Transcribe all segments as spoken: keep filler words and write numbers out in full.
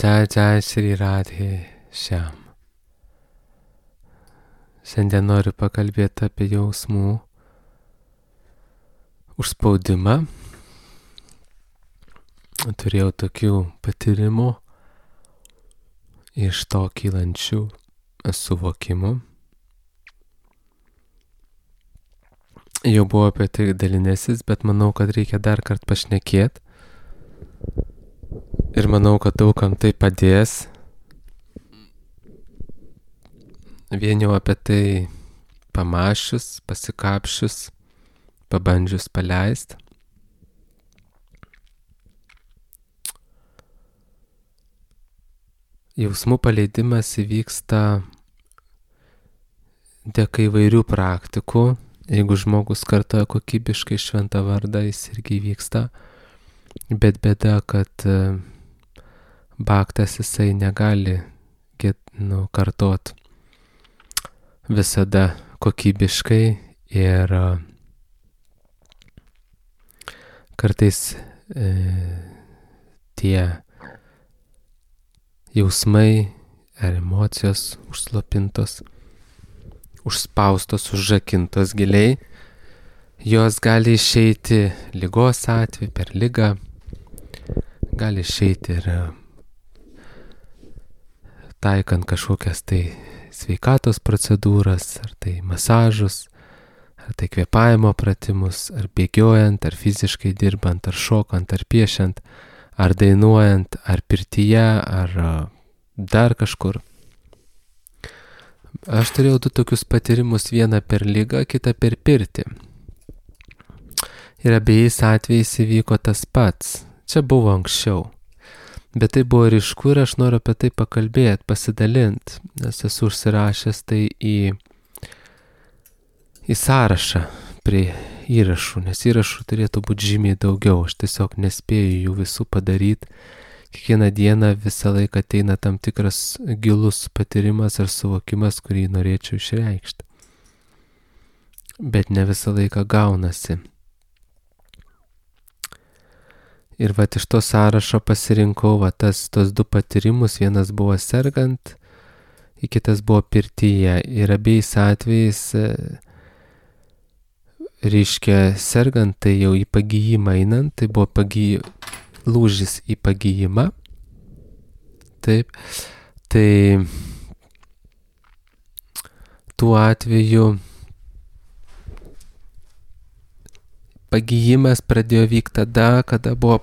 Jai Jai Shri Radhe Shyam. Šiandien noriu pakalbėti apie jausmų užspaudimą. Turėjau tokių patyrimų iš to kylančių suvokimų. Jau buvo apie tai dalinęsis, bet manau, kad reikia dar kart pašnekėti. Ir manau, kad daugam tai padės. Vien jau apie tai pamašius, pasikapšius, pabandžius paleist. Jausmų paleidimas įvyksta dėka įvairių praktikų. Jeigu žmogus kartoja kokybiškai šventą vardą, jis irgi vyksta. Bet bėda, kad bhaktas jisai negali nu, kartot visada kokybiškai ir kartais e, tie jausmai ar emocijos užslopintos, užspaustos, užrakintos giliai, jos gali išeiti ligos atveju, per ligą, gali išeiti ir taikant kažkokias tai sveikatos procedūras, ar tai masažus, ar tai kvėpavimo pratimus, ar bėgiojant, ar fiziškai dirbant, ar šokant, ar piešiant, ar dainuojant, ar pirtyje, ar dar kažkur. Aš turėjau du tokius patyrimus, vieną per ligą, kitą per pirtį. Ir abiejais atvejais įvyko tas pats. Čia buvo anksčiau. Bet tai buvo ryšku ir aš noriu apie tai pakalbėti, pasidalinti, nes esu užsirašęs tai į, į sąrašą prie įrašų, nes įrašų turėtų būti žymiai daugiau, aš tiesiog nespėju jų visų padaryti. Kiekvieną dieną visą laiką ateina tam tikras gilus patyrimas ar suvokimas, kurį norėčiau išreikšti. Bet ne visą laiką gaunasi. Ir va iš to sąrašo pasirinkau va tas, tos du patyrimus, vienas buvo sergant, kitas buvo pirtyje. Ir abiejais atvejais, reiškia, sergant, tai jau į pagijimą einant, tai buvo pagy... lūžis į pagijimą. Taip, tai tuo atveju pagijimas pradėjo vykti tada, kada buvo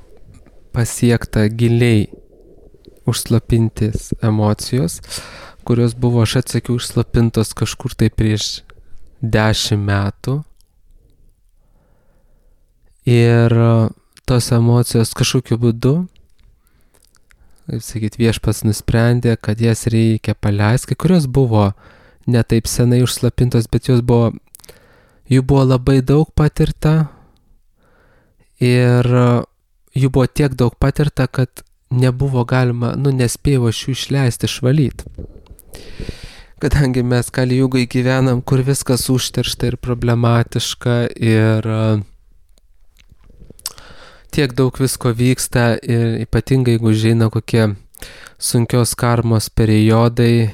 pasiekta giliai užslopintis emocijos, kurios buvo, aš atsakiau, užslopintos kažkur tai prieš dešimt metų. Ir tos emocijos kažkokiu būdu, kaip sakyt, viešpats nusprendė, kad jas reikia paleisti, kai kurios buvo ne taip senai užslopintos, bet jos buvo, jų buvo labai daug patirta ir jų buvo tiek daug patirta, kad nebuvo galima, nu, nespėjau aš jų išleisti, išvalyti. Kadangi mes Kali Jugai gyvenam, kur viskas užteršta ir problematiška ir tiek daug visko vyksta ir ypatingai, jeigu žino kokie sunkios karmos periodai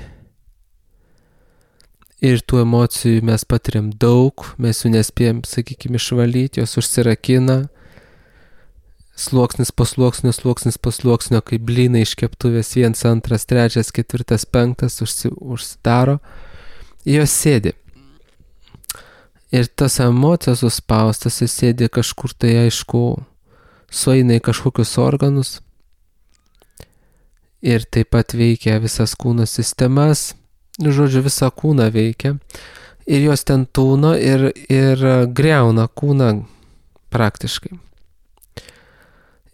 ir tų emocijų mes patiriam daug, mes jų nespėjom, sakykime, išvalyti, jos užsirakina, sluoksnis po sluoksnio, sluoksnis po sluoksnio, kaip blynai iš keptuvės, vienas, antras, trečias, ketvirtas, penktas užsi, užsidaro, jos sėdi. Ir tas emocijos suspaustas, jis sėdi kažkur tai, aišku, sueina į kažkokius organus ir taip pat veikia visas kūno sistemas, žodžiu, visą kūną veikia ir jos ten tūno ir, ir greuna kūną praktiškai.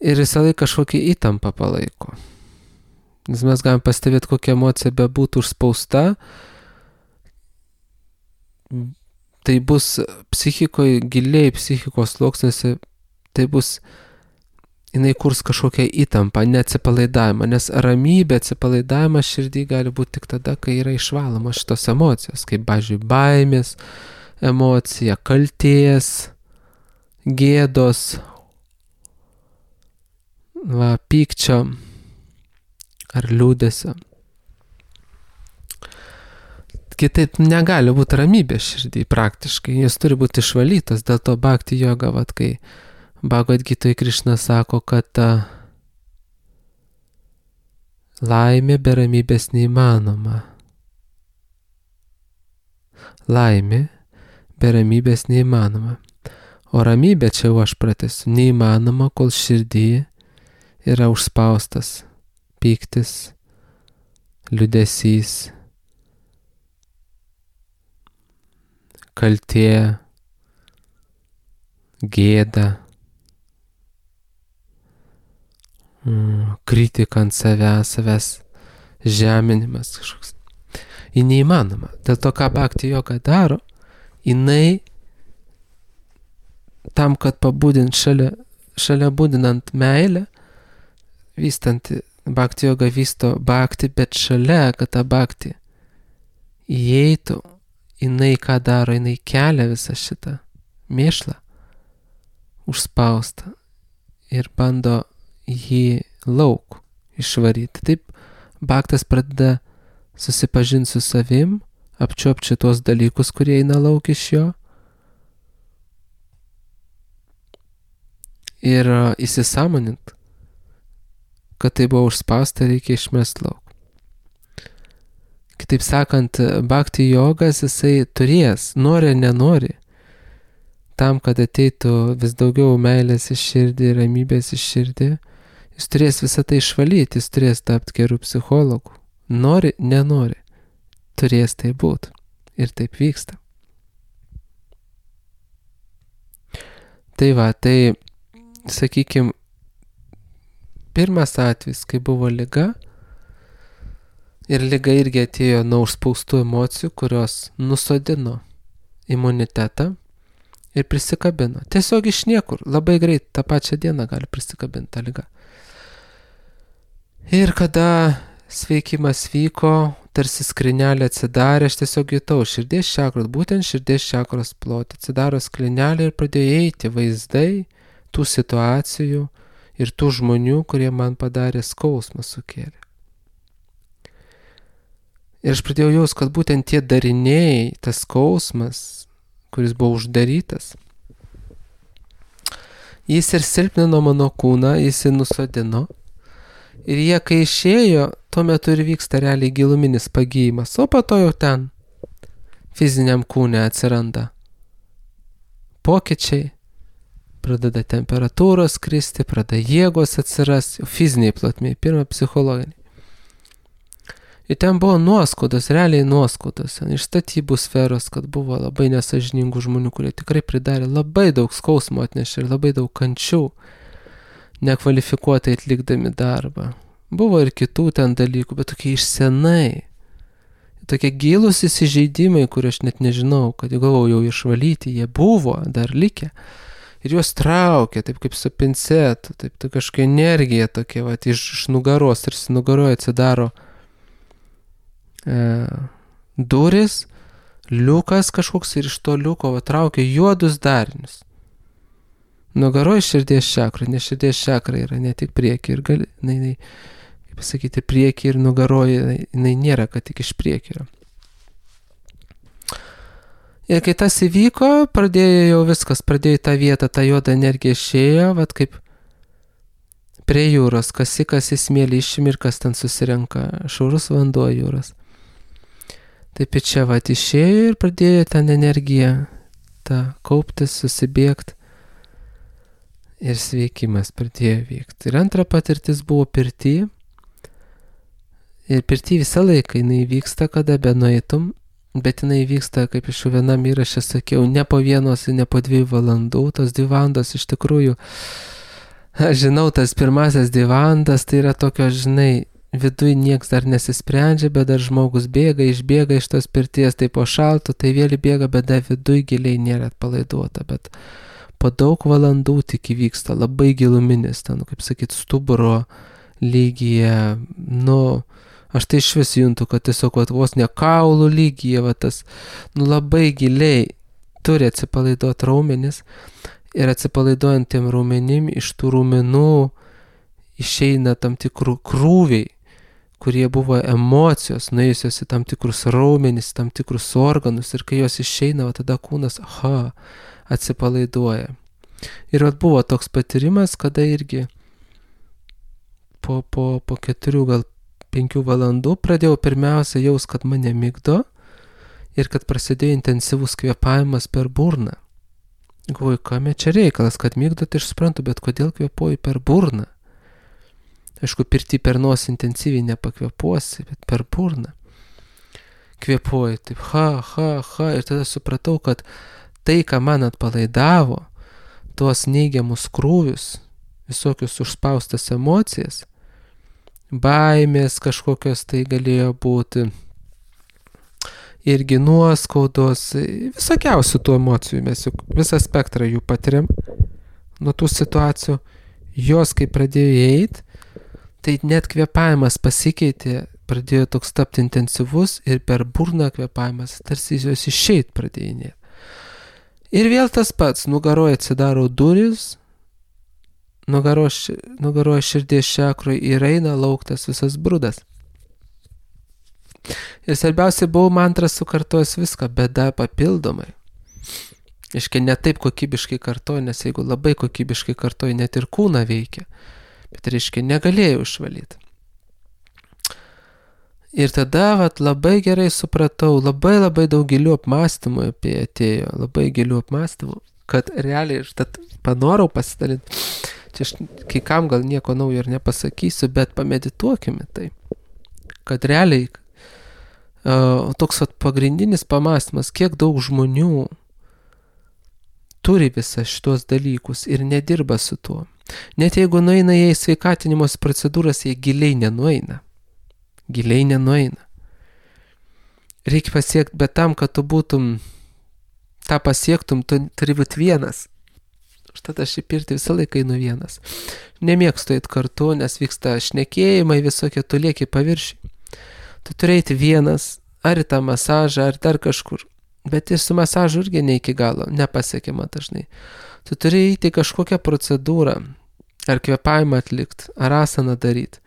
Ir visą laiką kažkokią įtampą palaiko. Nes mes galim pastebėti, kokia emocija bebūtų užspausta, tai bus psichikoje, giliai psichikos sluoksniuose, tai bus jinai kurs kažkokią įtampą, neatsipalaidavimą, nes ramybė, atsipalaidavimas širdį gali būti tik tada, kai yra išvaloma šitos emocijos, kaip, pavyzdžiui, baimės emocija, kaltės, gėdos, va, pykčio ar liūdesio. Kitaip negali būti ramybė širdį praktiškai, jis turi būti išvalytas, dėl to bhakti joga, vat, kai Bhagavad Gitoj Krišna sako, kad ta laimė be ramybės neįmanoma. Laimė be ramybės neįmanoma. O ramybė, čia jau aš pratęsiu, neįmanoma, kol širdį yra užspaustas pyktis, liūdesys, kaltė, gėda, kritika ant savęs, savęs žeminimas kažkoks. Ji neįmanoma. Dėl to, ką bhakti joga daro, jinai tam, kad pabudint šalia, šalia būdinant meilę, vystant bhakti joga vysto bhakti, bet šalia, kad ta bhakti įeitų, jinai ką daro, jinai kelia visą šitą mėšlą, užspaustą ir bando jį lauk išvaryti. Taip, bhaktas pradeda susipažinti su savim, apčiuopti tuos dalykus, kurie eina lauk iš jo ir įsisąmonint, kad tai buvo užspausta, reikia išmest lauk. Kitaip sakant, bhakti jogas jisai turės, nori ar nenori, tam, kad ateitų vis daugiau meilės iš širdį, ramybės iš širdį, jis turės visą tai išvalyti, jis turės tapti gerų psichologų. Nori, nenori, turės tai būti. Ir taip vyksta. Tai va, tai, sakykime, pirmas atvejis, kai buvo liga, ir liga irgi atėjo nuo užspaustų emocijų, kurios nusodino imunitetą ir prisikabino. Tiesiog iš niekur, labai greit, tą pačią dieną gali prisikabinti tą ligą. Ir kada sveikimas vyko, tarsi skrinelė atsidarė, aš tiesiog jutau širdies čakros, būtent širdies čakros plotį. Atsidaro skrinelė ir pradėjo eiti vaizdai tų situacijų ir tų žmonių, kurie man padarė skausmą sukėlė. Ir aš pradėjau jaus, kad būtent tie dariniai, tas skausmas, kuris buvo uždarytas, jis ir silpnino mano kūną, jis ir nusodino. Ir jie, kai išėjo, tuo metu ir vyksta realiai giluminis pagyjimas, o po to jau ten fiziniam kūne atsiranda pokyčiai, pradeda temperatūros kristi, pradeda jėgos atsiras, fiziniai plotmėj, pirma psichologiniai. Ir ten buvo nuoskaudos, realiai nuoskaudos, iš statybų sferos, kad buvo labai nesažiningų žmonių, kurie tikrai pridarė labai daug skausmo atnešė ir labai daug kančių, nekvalifikuotai atlikdami darbą. Buvo ir kitų ten dalykų, bet tokie iš senai. Tokie gilūs įsižeidimai, kur aš net nežinau, kad galvojau jau išvalyti, jie buvo dar likę. Ir juos traukė, taip kaip su pincetu, taip tai kažkokia energija tokia, va, iš, iš nugaros, tarsi nugaroje atsidaro e, duris, liukas kažkoks ir iš to liuko va, traukia juodus darinius. Nugaroje širdies čakra, nes širdies čakra yra ne tik priekį ir gali, jinai, jinai, kaip pasakyti, priekį ir nugaroje, jinai, jinai nėra, kad tik iš priekį yra. Ir kai tas įvyko, pradėjo jau viskas, pradėjo į tą vietą, ta juoda energija išėjo, vat kaip prie jūros, kasikas į smėlį išimi ir kas ten susirenka, šaurus vanduo jūros. Taip ir čia vat išėjo ir pradėjo ten energiją, tą kauptis, susibėgti. Ir sveikimas pradėjo vykti. Ir antra patirtis buvo pirty. Ir pirty visą laiką jinai vyksta, kada benueitum, bet jinai vyksta, kaip iš vienam įraše sakiau, ne po vienos ir ne po dviejų valandų. Tos dvi valandos iš tikrųjų, aš žinau, tas pirmasis dvi valandas, tai yra tokio, žinai, viduj nieks dar nesisprendžia, bet dar žmogus bėga, išbėga iš tos pirties, tai po šaltų, tai vėl bėga, bet dar viduj giliai nėra atpalaiduota, bet po daug valandų tik įvyksta labai giluminis, ten, kaip sakyt, stuburo lygyje, nu, aš tai iš vis juntu, kad tiesiog vat, vos ne kaulų lygyje, vat, tas, nu, labai giliai turi atsipalaiduoti raumenis ir atsipalaiduojant tiem raumenim, iš tų raumenų išeina tam tikrų krūviai, kurie buvo emocijos, nuėjusios į tam tikrus raumenis, tam tikrus organus ir kai jos išeina, va, tada kūnas, aha, atsipalaiduoja. Ir vat buvo toks patyrimas, kada irgi po, po, po keturių, gal penkių valandų pradėjau pirmiausia jaus, kad mane migdo ir kad prasidėjo intensyvus kvėpavimas per burną. Galvoju, kame čia reikalas, kad migdo, tai aš suprantu, bet kodėl kvėpuoju per burną? Aišku, pirti per nosį intensyviai nepakvėpuosi, bet per burną. Kvėpuoju, taip, ha, ha, ha, ir tada supratau, kad tai, ką man atpalaidavo, tuos neigiamus krūvius, visokius užspaustas emocijas, baimės kažkokios tai galėjo būti, irgi nuoskaudos, visokiausių tų emocijų, mes juk visą spektrą jų patiriam nuo tų situacijų, jos kai pradėjo eiti, tai net kvėpavimas pasikeitė, pradėjo toks tapti intensyvus ir per burną kvėpavimas, tarsi jos išeit pradėjinėti. Ir vėl tas pats, nugaroje atsidaro duris, nugaroje nugaro širdies čakroje ir eina lauktas visas brudas. Ir svarbiausia, buvau mantras sukartojęs viską, bėda papildomai. Iškai ne taip kokybiškai kartoju, nes jeigu labai kokybiškai kartoju, net ir kūną veikia. Bet reiškia, negalėjau išvalyti. Ir tada vat, labai gerai supratau, labai labai daug gilių apmąstymų apie atėjo, labai gilių apmąstymų, kad realiai, ir tad panorau pasidalinti, čia aš kai kam gal nieko naujo ir nepasakysiu, bet pamedituokime tai, kad realiai uh, toks vat, pagrindinis pamąstymas, kiek daug žmonių turi visą šitos dalykus ir nedirba su tuo. Net jeigu nueina jie į sveikatinimos procedūras, jie giliai nenueina. Giliai nenueina. Reikia pasiekti, bet tam, kad tu būtum, tą pasiektum, tu turi būti vienas. Štai aš į pirtį visą laiką einu vienas. Nemėgstu eiti kartu, nes vyksta šnekėjimai visokie, tu lieki paviršiai. Tu turi eiti vienas, ar į tą masažą, ar dar kažkur. Bet ir su masažu irgi ne iki galo, nepasiekiama dažnai. Tu turi eiti kažkokią procedūrą, ar kvėpavimą atlikti, ar asaną daryti.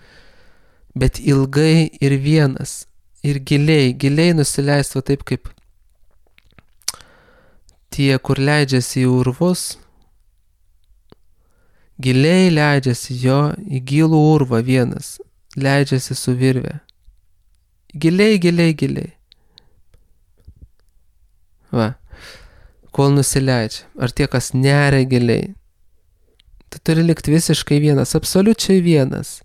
Bet ilgai ir vienas, ir giliai, giliai nusileisti taip kaip tie, kur leidžiasi į urvus, giliai leidžiasi jo į gilų urvą vienas, leidžiasi su virve. Giliai, giliai, giliai. Va, kol nusileidžia. Ar tie, kas neria giliai. Tu turi likti visiškai vienas, absoliučiai vienas.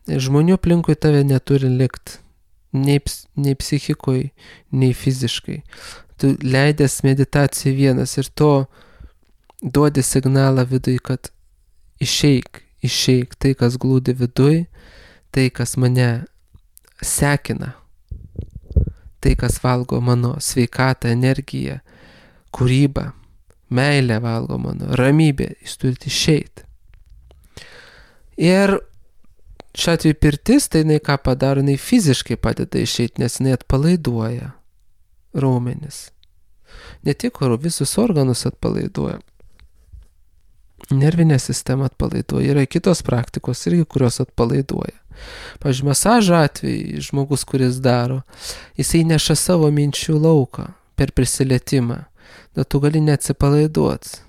Žmonių aplinkui tave neturi likti. Nei, nei psichikoj, nei fiziškai. Tu leidęs meditacijai vienas ir to duodi signalą viduj, kad išeik, išeik tai, kas glūdi viduj, tai, kas mane sekina. Tai, kas valgo mano sveikatą, energiją, kūrybą, meilę valgo mano, ramybę, jūs turite išeiti. Ir šiuo atveju pirtis, tai jinai ką padaro, jinai fiziškai padeda išeiti, nes jinai atpalaiduoja raumenis. Ne tik visus organus atpalaiduoja. Nervinė sistema atpalaiduoja. Yra kitos praktikos irgi, kurios atpalaiduoja. Pavyzdžiui, masažo atveju žmogus, kuris daro, jisai neša savo minčių lauką per prisilietimą. Dėl to gali neatsipalaiduoti.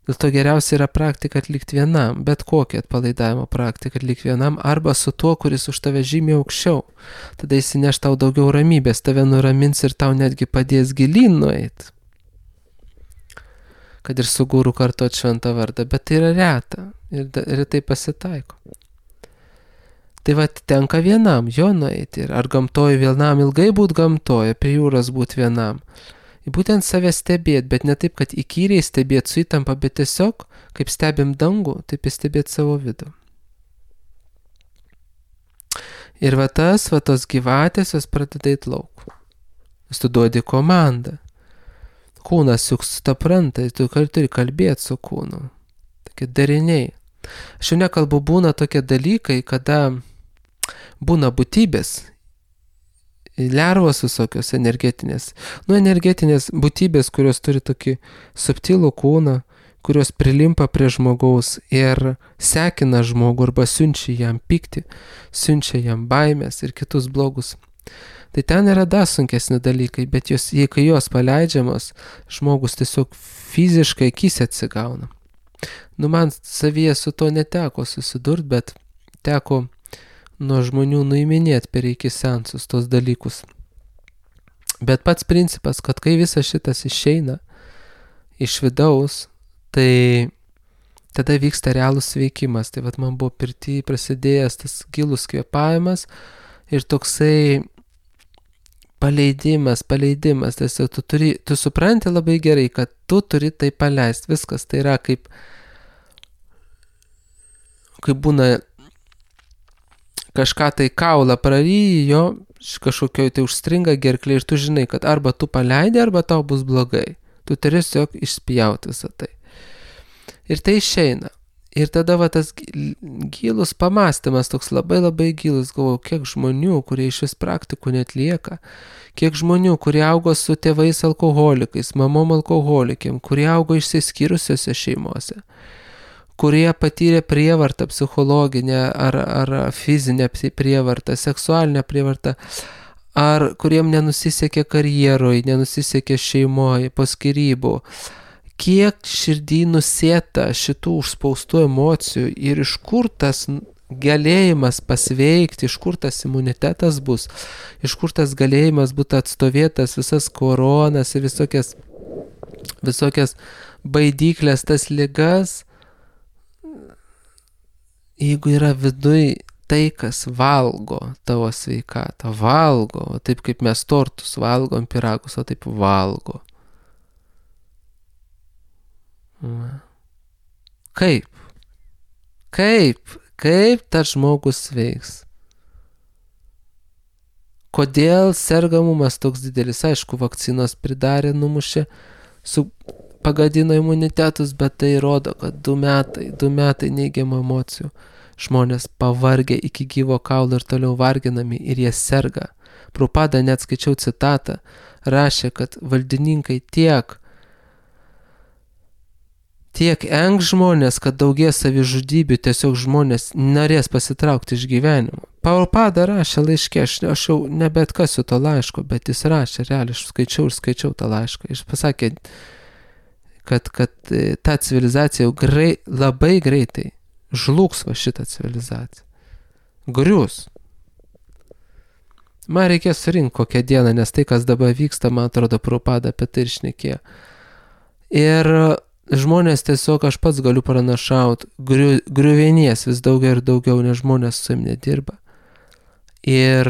Dėl to geriausia yra praktika atlikti vienam, bet kokią atpalaidavimo praktiką atlikti vienam, arba su tuo, kuris už tave žymiai aukščiau. Tada jis neš tau daugiau ramybės, tave nuramins ir tau netgi padės gilyn nueiti. Kad ir su guru kartot šventą vardą, bet tai yra reta ir, ir tai pasitaiko. Tai va, tenka vienam jo nueiti ir ar gamtoje vienam ilgai būt gamtoje, prie jūros būt vienam. Būtent save stebėti, bet ne taip, kad įkyriai stebėti su įtampa, bet tiesiog, kaip stebim dangų, taip ir stebėti savo vidų. Ir va tas, va tos gyvatės, jos pradeda eit lauk. Nes tu duodi komandą. Kūnas juk supranta, tu turi kalbėti su kūnu. Tokie dariniai. Aš jau nekalbu, būna tokie dalykai, kada būna būtybės, lervos visokios energetinės. Nu, energetinės būtybės, kurios turi tokį subtilų kūną, kurios prilimpa prie žmogaus ir sekina žmogų arba siunčia jam pyktį, siunčia jam baimės ir kitus blogus. Tai ten yra dar sunkesni dalykai, bet jos, jei kai jos paleidžiamos, žmogus tiesiog fiziškai akise atsigauna. Nu, man savyje su to neteko susidurt, bet teko nuo žmonių nuiminėti per iki sensus tos dalykus. Bet pats principas, kad kai visas šitas išeina iš vidaus, tai tada vyksta realus veikimas. Tai vat man buvo pirty prasidėjęs tas gilus kvėpavimas ir toksai paleidimas, paleidimas. Tiesiog tu, turi, tu supranti labai gerai, kad tu turi tai paleisti. Viskas tai yra kaip, kaip būna kažką tai kaulą praryjo, kažkokioj tai užstringa gerklė ir tu žinai, kad arba tu paleidi, arba tau bus blogai. Tu turi tiesiog išspjauti visą tai. Ir tai išeina. Ir tada va tas gilus pamastymas, toks labai labai gilus, galvoju, kiek žmonių, kurie iš vis praktikų netlieka, kiek žmonių, kurie augo su tėvais alkoholikais, mamom alkoholikėm, kurie augo išsiskyrusiose šeimose, kurie patyrė prievartą psichologinę ar, ar fizinę prievartą, seksualinę prievartą, ar kuriem nenusisekė karjeroj, nenusisekė šeimoje, po skyrybų. Kiek širdį nusėta šitų užspaustų emocijų ir iš kur tas galėjimas pasveikti, iš kur tas imunitetas bus, iš kur tas galėjimas būtų atstovėtas visas koronas ir visokias, visokias baidyklės, tas ligas. Jeigu yra viduj tai, kas valgo tavo sveikatą, valgo, taip kaip mes tortus valgom, pyragus, o taip valgo. Kaip? Kaip? Kaip tas žmogus veiks? Kodėl sergamumas toks didelis? Aišku, vakcinos pridarė, numušė, su pagadino imunitetus, bet tai rodo, kad du metai, du metai neigiamų emocijų. Žmonės pavargę iki gyvo kaulo ir toliau varginami ir jie serga. Prabhupada, net skaičiau citatą, rašė, kad valdininkai tiek, tiek engs žmonės, kad daugės savižudybių, tiesiog žmonės norės pasitraukti iš gyvenimo. Prabhupada rašė laiške, aš, aš jau nebetkasiu to laiško, bet jis rašė, realiai, aš skaičiau ir skaičiau tą laišką. Jis pasakė, kad, kad ta civilizacija jau grei, labai greitai žlugs va šitą civilizaciją. Grius. Man reikės surinkti kokią dieną, nes tai, kas dabar vyksta, man atrodo, Prabhupada apie tai ir šnekėjo. Ir žmonės tiesiog, aš pats galiu pranašauti, griu, griuvienies vis daugiau ir daugiau, nes žmonės su jam nedirba. Ir,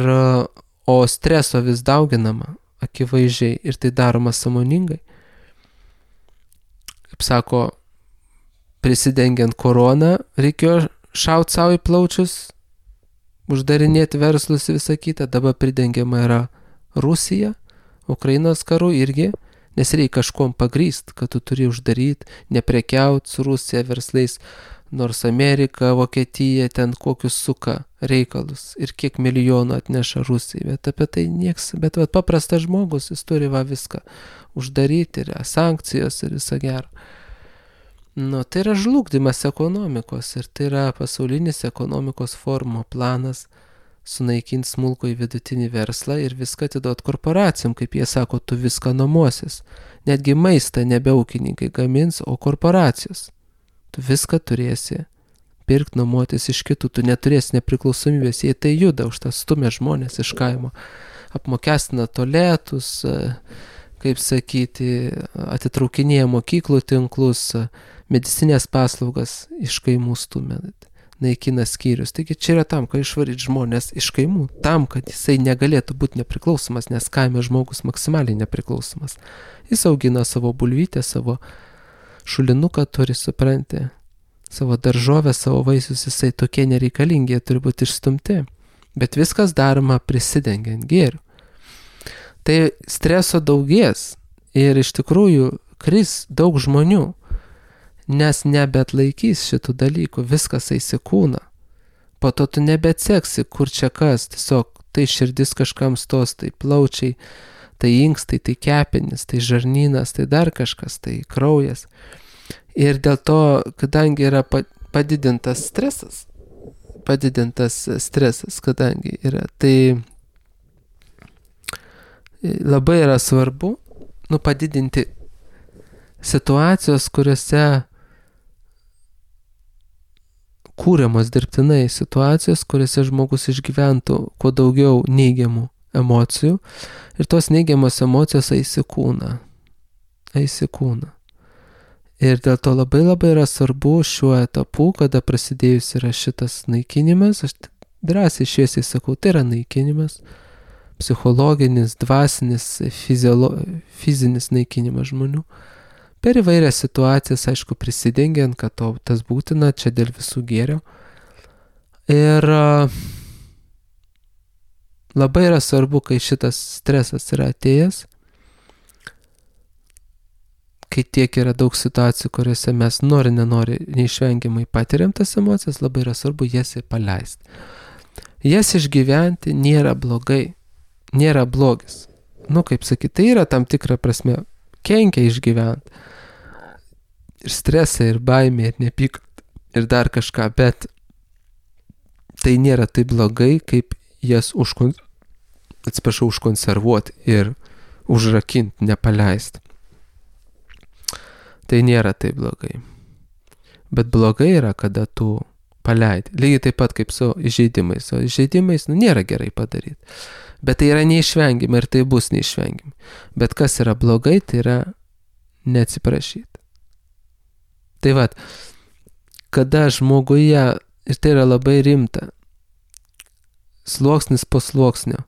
o streso vis dauginama, akivaizdžiai, ir tai daroma sąmoningai. Kaip sako, prisidengiant koroną, reikėjo šauti savo į plaučius, uždarinėti verslus ir visą kitą. Dabar pridengiama yra Rusija, Ukrainos karu irgi, nes reikia kažkom pagrįst, kad tu turi uždaryti, neprekiauti su Rusija verslais, nors Amerika, Vokietija ten kokius suka reikalus ir kiek milijonų atneša Rusijai, bet apie tai nieks, bet vat, paprastas žmogus, jis turi va viską uždaryti ir sankcijos ir visą gerą. Nu, tai yra žlugdymas ekonomikos ir tai yra pasaulinis ekonomikos forumo planas sunaikinti smulkų į vidutinį verslą ir viską atiduot korporacijom, kaip jie sako, tu viską nuomosis. Netgi maistą nebe ūkininkai gamins, o korporacijos. Tu viską turėsi pirkti, nuomotis iš kitų, tu neturėsi nepriklausomybės, jei tai juda, už tą stumia žmonės iš kaimo, apmokestina tualetus, kaip sakyti, atitraukinėja mokyklų tinklus, medicinės paslaugas iš kaimų stumia, naikina skyrius. Taigi čia yra tam, kad išvaryti žmonės iš kaimų, tam, kad jisai negalėtų būti nepriklausomas, nes kaime žmogus maksimaliai nepriklausomas. Jis augina savo bulvytę, savo šulinuką turi, supranti, savo daržovę, savo vaisius, jisai tokie nereikalingi, jie turi būti išstumti. Bet viskas daroma prisidengiant gėriu. Tai streso daugės ir iš tikrųjų kris daug žmonių, nes nebeatlaikys šitų dalykų, viskas eis į kūną. Po to tu nebeatseksi, kur čia kas, tiesiog tai širdis kažkam stos, tai plaučiai, tai inkstai, tai kepenis, tai žarnynas, tai dar kažkas, tai kraujas. Ir dėl to, kadangi yra padidintas stresas, padidintas stresas, kadangi yra, tai labai yra svarbu, nu, padidinti situacijos, kuriuose kūriamos dirbtinai situacijos, kuriuose žmogus išgyventų kuo daugiau neigiamų emocijų ir tos neigiamos emocijos eis į kūną. Eis į kūną. Ir dėl to labai labai yra svarbu šiuo etapu, kada prasidėjus yra šitas naikinimas, aš drąsiai šviesiai sakau, tai yra naikinimas, psichologinis, dvasinis, fiziolo, fizinis naikinimas žmonių. Per įvairias situacijas, aišku, prisidengiant, kad to, tas būtina, čia dėl visų gėrio. Ir labai yra svarbu, kai šitas stresas yra atėjęs, kai tiek yra daug situacijų, kuriuose mes nori, nenori, neišvengiamai patiriam tas emocijas, labai yra svarbu jas paleisti. Jas išgyventi nėra blogai, nėra blogis. Nu, kaip sakyti, tai yra tam tikra prasme kenkia išgyventi. Ir stresą, ir baimę, ir nepykantą, ir dar kažką, bet tai nėra taip blogai, kaip jas užkon... atsiprašau, užkonservuoti ir užrakinti, nepaleisti. Tai nėra taip blogai. Bet blogai yra, kada tu paleidi. Lygiai taip pat kaip su įžeidimais. O įžeidimais, nu, nėra gerai padaryti. Bet tai yra neišvengiama ir tai bus neišvengiama. Bet kas yra blogai, tai yra neatsiprašyti. Tai vat, kada žmoguje, ir tai yra labai rimta, sluoksnis po sluoksnio,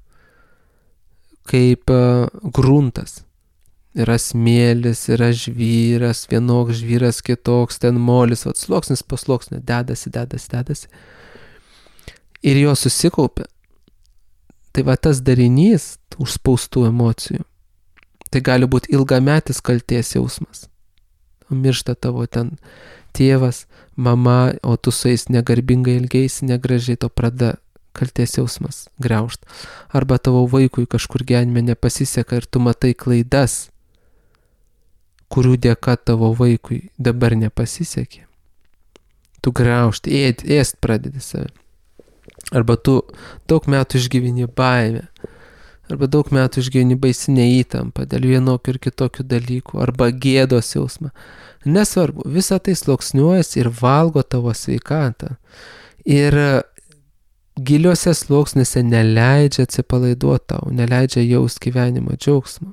kaip uh, gruntas, yra smėlis, yra žvyras, vienoks žvyras, kitoks, ten molis, vat, sluoksnis po sluoksnio, dedasi, dedasi, dedasi, ir jo susikaupia. Tai va tas darinys užspaustų emocijų, tai gali būti ilgametis kaltės jausmas. Miršta tavo ten tėvas, mama, o tu su jais negarbingai ilgeisi, negražiai, to pradeda kaltės jausmas griaužt. Arba tavo vaikui kažkur gyvenime nepasiseka ir tu matai klaidas, kurių dėka tavo vaikui dabar nepasisekė. Tu griaužti, ėd, ėst pradedi save. Arba tu daug metų išgyveni baimę. Arba daug metų išgyveni baisinę įtampą dėl vienokių ir kitokių dalykų, arba gėdos jausmą. Nesvarbu, visa tai sluoksniuojasi ir valgo tavo sveikatą. Ir giliuose sluoksniuose neleidžia atsipalaiduoti tau, neleidžia jaust gyvenimo džiaugsmą.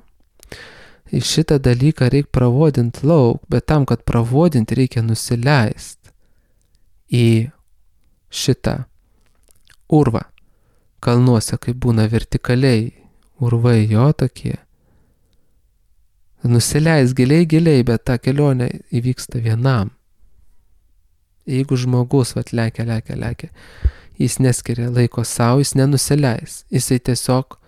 Ir šitą dalyką reikia pravodinti lauk, bet tam, kad pravodinti, reikia nusileisti į šitą urvą. Kalnuose, kai būna vertikaliai, urvai jo tokie. Nusileis giliai, giliai, bet ta kelionė įvyksta vienam. Jeigu žmogus vat lekia, lekia, lekia, jis neskiria laiko savo, jis nenusileis. Jisai tiesiog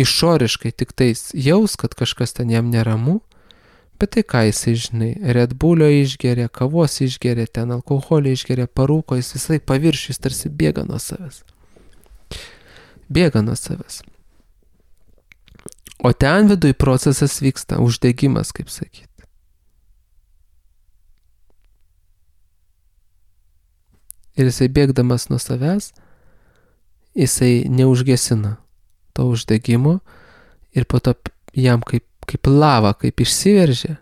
išoriškai tik tais jaus, kad kažkas ten jam neramu, bet tai ką jisai, žinai, Red Bullio išgeria, kavos išgeria, ten alkoholio išgeria, parūko, jis visai paviršius tarsi bėga nuo savęs. Bėga nuo savęs. O ten viduj procesas vyksta, uždegimas, kaip sakyti. Ir jisai bėgdamas nuo savęs, jisai neužgesina to uždegimo ir po to jam kaip, kaip lava, kaip išsiveržia.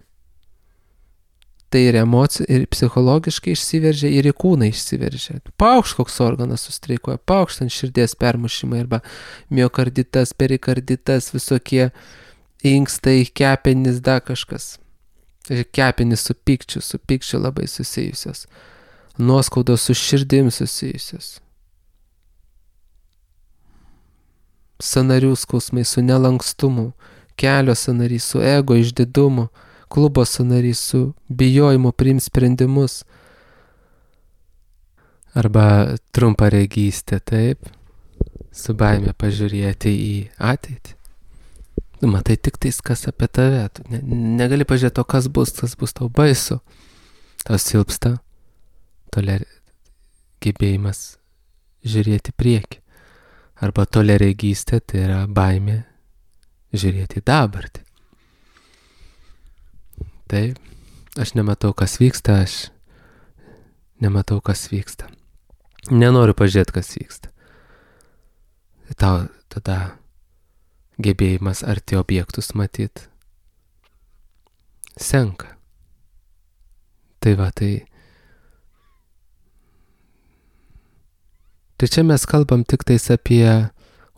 Tai ir emocija, ir psichologiškai išsiveržia, ir į kūną išsiveržia. Paukšt koks organas sustreikuoja, paukšt ant širdies permušimai arba miokarditas, perikarditas, visokie inkstai, kepenys, da kažkas. Kepenys su pykčiu, su pykčiu labai susijusios. Nuoskaudos su širdim susijusios. Sanarių skausmai su nelankstumu, kelio sanarys su ego išdidumu, klubo sanarys su bijojimu priimti sprendimus. Arba trumparegystė, taip, su baime pažiūrėti į ateitį. Tu matai tik tais, kas apie tave. Tu ne, negali pažiūrėti, o kas bus, kas bus tau baisu. Tau silpsta toler... gebėjimas žiūrėti priekį. Arba toleregystė, tai yra baimė žiūrėti į dabartį. Taip, aš nematau, kas vyksta, aš nematau, kas vyksta. Nenoriu pažiūrėti, kas vyksta. Tau tada gebėjimas arti objektus matyti senka. Tai va, tai Tai čia mes kalbam tik tais apie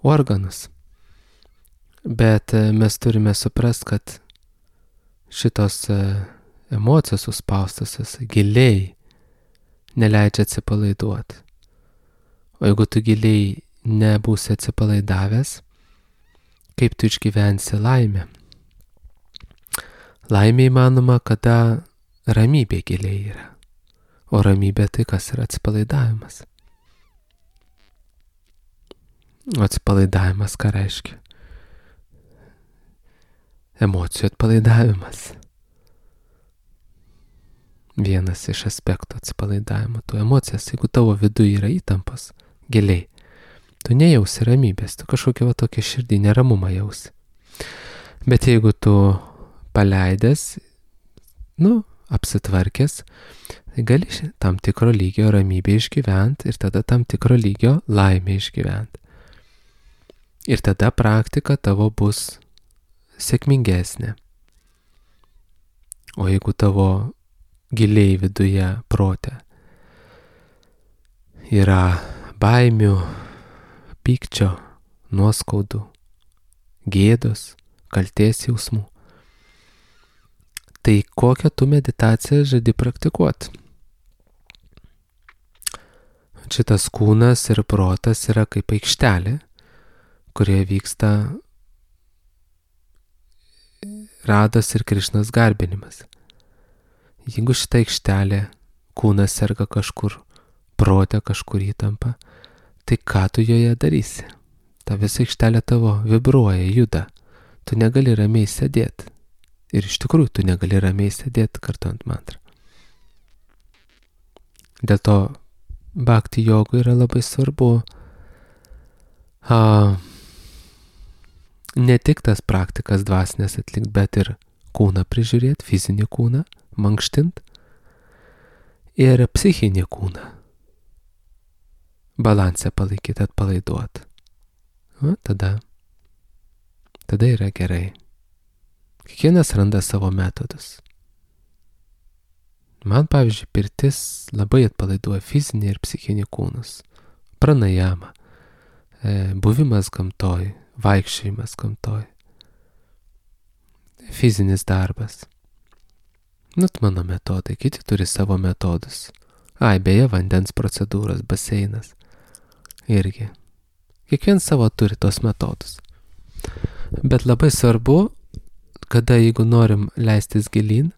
organus, bet mes turime suprast, kad šitos emocijos suspaustusios giliai neleidžia atsipalaiduoti. O jeigu tu giliai nebūsi atsipalaidavęs, kaip tu išgyvensi laimę? Laimė įmanoma, kada ramybė giliai yra, o ramybė tai kas yra atsipalaidavimas. O atsipalaidavimas ką reiškia? Emocijų atpalaidavimas. Vienas iš aspektų atsipalaidavimo. Tu emocijas, jeigu tavo viduje yra įtampas giliai, tu nejausi ramybės, tu kažkokią va tokią širdį neramumą jausi. Bet jeigu tu paleidęs, nu, apsitvarkęs, tai gali tam tikro lygio ramybę išgyventi ir tada tam tikro lygio laimę išgyventi. Ir tada praktika tavo bus sėkmingesnė. O jeigu tavo giliai viduje prote yra baimių, pykčio, nuoskaudų, gėdos, kaltės jausmų, tai kokią tu meditaciją žadi praktikuoti? Šitas kūnas ir protas yra kaip aikštelė, kurioje vyksta Rados ir Krišnos garbinimas. Jeigu šita aikštelė, kūnas serga kažkur, prote kažkur įtampa, tai ką tu joje darysi? Ta visa aikštelė tavo vibruoja, juda. Tu negali ramiai sėdėti. Ir iš tikrųjų tu negali ramiai sėdėti kartuojant mantrą. Dėl to bhakti jogui yra labai svarbu a, ne tik tas praktikas dvasinės atlikti, bet ir kūną prižiūrėti, fizinį kūną, mankštint ir psichinį kūną. Balansę palaikyti, atpalaiduoti. O, tada, tada yra gerai. Kiekvienas randa savo metodus. Man, pavyzdžiui, pirtis labai atpalaiduoja fizinį ir psichinį kūnus. Pranajama, e, buvimas gamtoj, vaikščiojimas gamtoj, fizinis darbas. Nu, mano metodai, kiti turi savo metodus. Ai, beje, vandens procedūros, baseinas. Irgi. Kiekvienas savo turi tos metodus. Bet labai svarbu, kada jeigu norim leistis gilyn,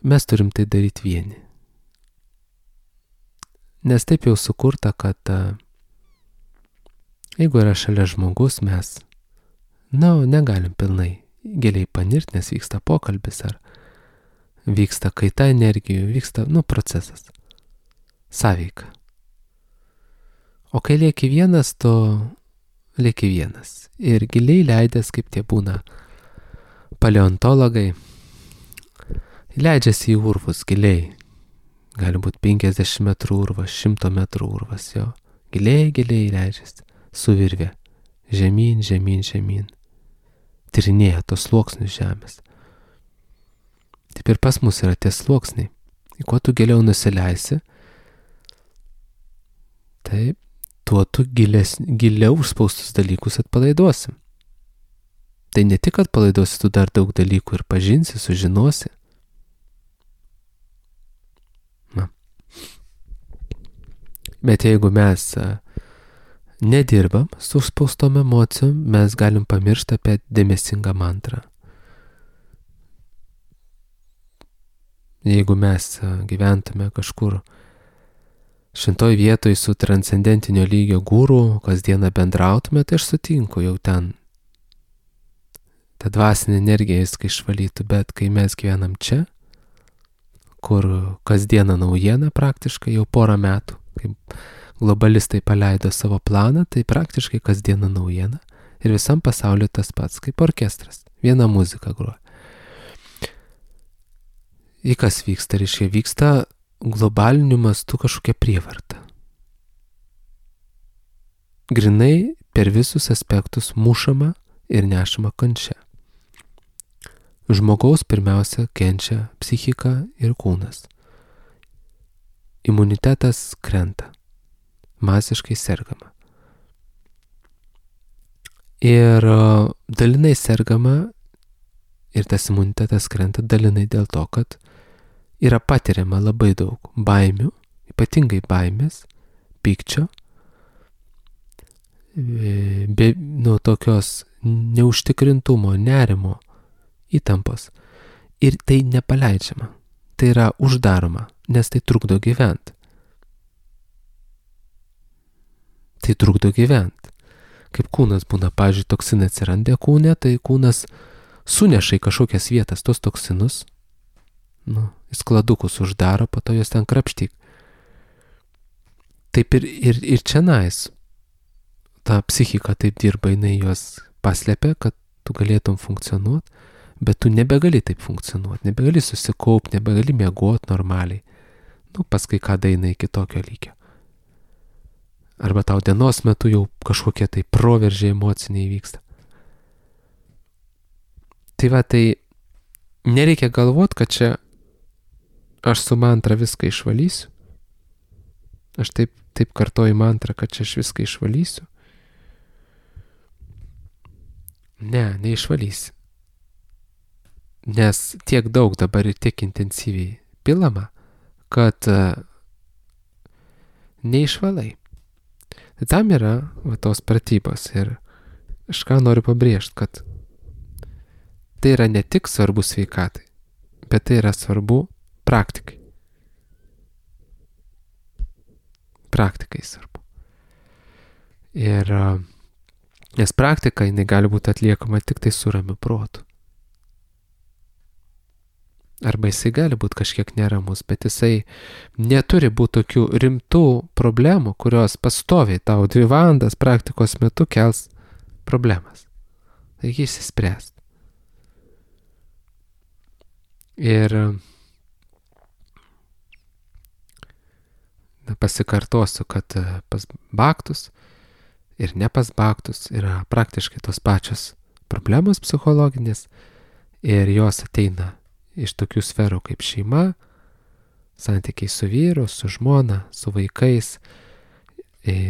mes turim tai daryti vieni. Nes taip jau sukurta, kad jeigu yra šalia žmogus, mes, na, nu, negalim pilnai giliai panirti, nes vyksta pokalbis ar vyksta kaita energijų, vyksta, nu, procesas. Sąveika. O kai lieki vienas, tu lieki vienas. Ir giliai leidęs, kaip tie būna paleontologai, leidžiasi į urvus giliai. Gali būti penkiasdešimt metrų urvas, šimto metrų urvas, jo. Giliai, giliai leidžiasi. Suvirvė. Žemyn, žemyn, žemyn. Tyrinėja tos sluoksnius žemės. Taip ir pas mus yra tie sluoksniai. Į kuo tu giliau nusileisi, taip, tuo tu gilės, giliau užspaustus dalykus atpalaiduosi. Tai ne tik atpalaiduosi, tu dar daug dalykų ir pažinsi, sužinosi. Na. Bet jeigu mes nedirbam su užspaustom emocijom, mes galim pamiršti apie dėmesingą mantrą. Jeigu mes gyventume kažkur šventoj vietoj su transcendentinio lygio guru, kasdieną bendrautume, tai aš sutinku, jau ten ta dvasinė energija viską išvalytų, bet kai mes gyvenam čia, kur kasdieną naujiena praktiškai jau porą metų, kaip globalistai paleido savo planą, tai praktiškai kasdieną naujiena ir visam pasauliu tas pats, kaip orkestras, viena muzika groja. į kas vyksta, reiškia, vyksta globaliniu mastu kažkokia prievarta. Grinai per visus aspektus mušama ir nešama kančia. Žmogaus pirmiausia kenčia psichika ir kūnas. Imunitetas krenta. Masiškai sergama. Ir dalinai sergama ir tas imunitetas krenta dalinai dėl to, kad yra patiriama labai daug baimių, ypatingai baimės, pykčio, be, nuo tokios neužtikrintumo, nerimo, įtampos. Ir tai nepaleidžiama. Tai yra uždaroma, nes tai trukdo gyventi. Tai trukdo gyventi. Kaip kūnas būna, pavyzdžiui, toksinai atsiranda kūne, tai kūnas suneša į kažkokias vietas tos toksinus, nu, į skladukus uždaro, po to jos ten krapštyk. Taip ir, ir, ir čia nais. Ta psichika taip dirba, jinai juos paslėpia, kad tu galėtum funkcionuoti, bet tu nebegali taip funkcionuoti, nebegali susikaupti, nebegali miegoti normaliai. Nu, paskui ką daina iki tokio lygio. Arba tau dienos metu jau kažkokie tai proveržiai emociniai vyksta. Tai va, tai nereikia galvoti, kad čia aš su mantra viską išvalysiu. Aš taip, taip kartoju mantrą, kad čia aš viską išvalysiu. Ne, neišvalysi. Nes tiek daug dabar ir tiek intensyviai pilama, kad uh, neišvalai. Tai tam yra va, tos pratybos ir aš ką noriu pabrėžti, kad tai yra ne tik svarbu sveikatai, bet tai yra svarbu praktikai. Praktikai svarbu. Ir uh, nes praktika jinai gali būti atliekama tik tai su ramiu protu. Arba jisai gali būti kažkiek neramus, bet jisai neturi būti tokių rimtų problemų, kurios pastoviai tau dvi valandas praktikos metu kels problemas. Taigi išsispręst. Ir na, pasikartosiu, kad pas baktus ir ne pas baktus yra praktiškai tos pačios problemos psichologinės ir jos ateina iš tokių sferų kaip šeima, santykiai su vyru, su žmona, su vaikais,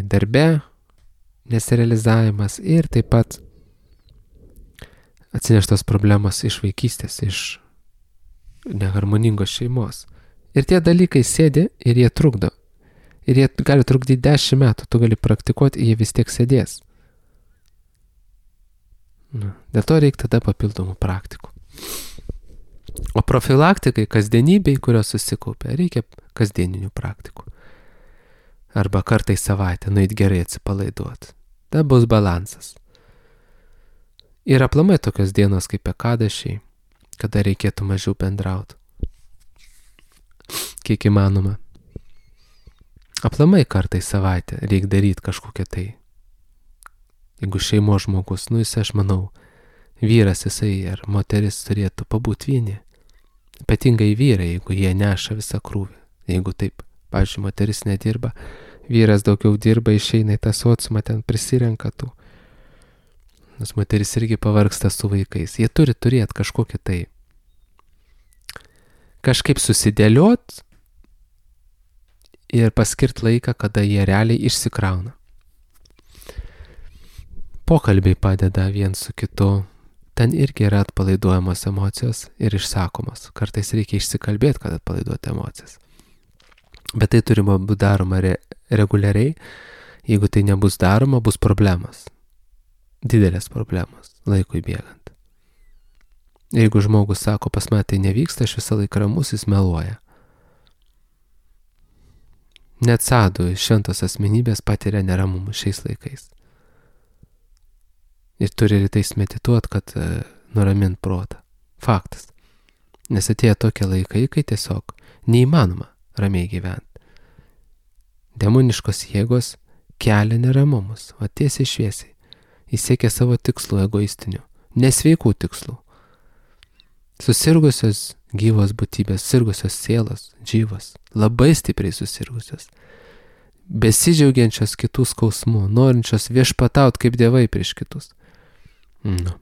darbe, nesirealizavimas ir taip pat atsineštos problemos iš vaikystės, iš neharmoningos šeimos. Ir tie dalykai sėdi ir jie trukdo. Ir jie gali trukdyti dešimt metų, tu gali praktikuoti, jie vis tiek sėdės. Nu, dėl to reikia tada papildomų praktikų. O profilaktikai, kasdienybei, kurios susikaupia, reikia kasdieninių praktikų. Arba kartą į savaitę nueit gerai atsipalaiduoti. Ta bus balansas. Ir aplamai tokios dienos kaip ekadašiai, kada reikėtų mažiau bendrauti. Kiek įmanoma. Aplamai kartą į savaitę reikia daryti kažkokią tai. Jeigu šeimos žmogus, nu jis, aš manau, vyras jisai ar moteris turėtų pabūti vieni. Ypatingai vyrai, jeigu jie neša visą krūvį. Jeigu taip, pavyzdžiui, moteris nedirba, vyras daugiau dirba, išeina į tą sociumą, ten prisirenka tų. Nes moteris irgi pavargsta su vaikais. Jie turi turėti kažkokį tai kažkaip susidėliot ir paskirt laiką, kada jie realiai išsikrauna. Pokalbiai padeda vien su kitu. Ten irgi yra atpalaiduojamos emocijos ir išsakomos. Kartais reikia išsikalbėti, kad atpalaiduoti emocijas. Bet tai turima būti daroma re- reguliariai. Jeigu tai nebus daroma, bus problemos. Didelės problemos laikui bėgant. Jeigu žmogus sako, pas mane tai nevyksta, aš visą laiką ramus, jis meluoja. Net sadų šventos asmenybės patiria neramumus šiais laikais. Ir turi rytais medituoti, kad e, nuramint protą. Faktas. Nes atėjo tokie laikai, kai tiesiog neįmanoma ramiai gyventi. Demoniškos jėgos kelia neramumus, o tiesiai šviesiai. Jis siekia savo tikslų egoistinių, nesveikų tikslų. Susirgusios gyvos būtybės, sirgusios sielos, džyvos, labai stipriai susirgusios, besidžiaugiančios kitų skausmų, norinčios viešpataut kaip dievai prieš kitus. Nu.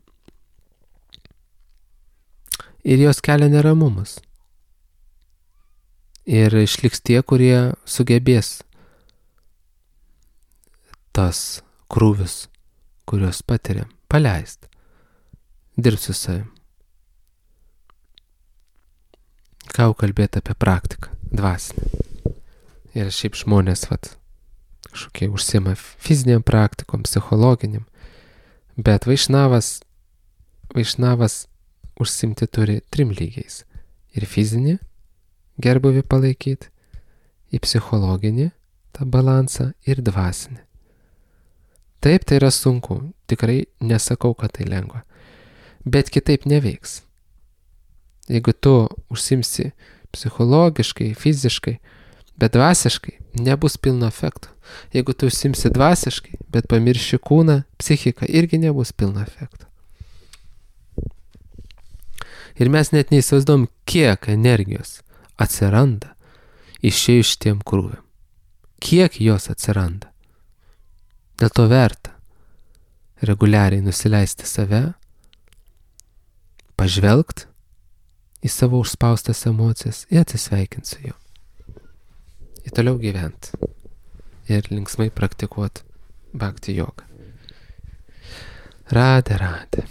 Ir jos kelia neramumus. Ir išliks tie, kurie sugebės tas krūvius, kuriuos patiriam, paleist, dirbt su savim. Ką kalbėti apie praktiką, dvasinę. Ir šiaip žmonės, vat, kažkokie užsima fiziniam praktikom, psichologiniam, bet vaišnavas, vaišnavas užsimti turi trim lygiais. Ir fizinį gerbuvį palaikyti, į psichologinį tą balansą ir dvasinį. Taip, tai yra sunku, tikrai nesakau, kad tai lengva, bet kitaip neveiks. Jeigu tu užsimsi psichologiškai, fiziškai, bet dvasiškai, nebus pilno efekto. Jeigu tu užsimsi dvasiškai, bet pamirši kūną, psichiką, irgi nebus pilno efekto. Ir mes net neįsivaizduom, kiek energijos atsiranda išėjus šitiem krūviam. Kiek jos atsiranda. Dėl to verta reguliariai nusileisti save, pažvelgt į savo užspaustas emocijas ir atsisveikinti su juo. Ir toliau gyventi. Ir linksmai praktikuoti bhakti jogą. Radhe, radhe.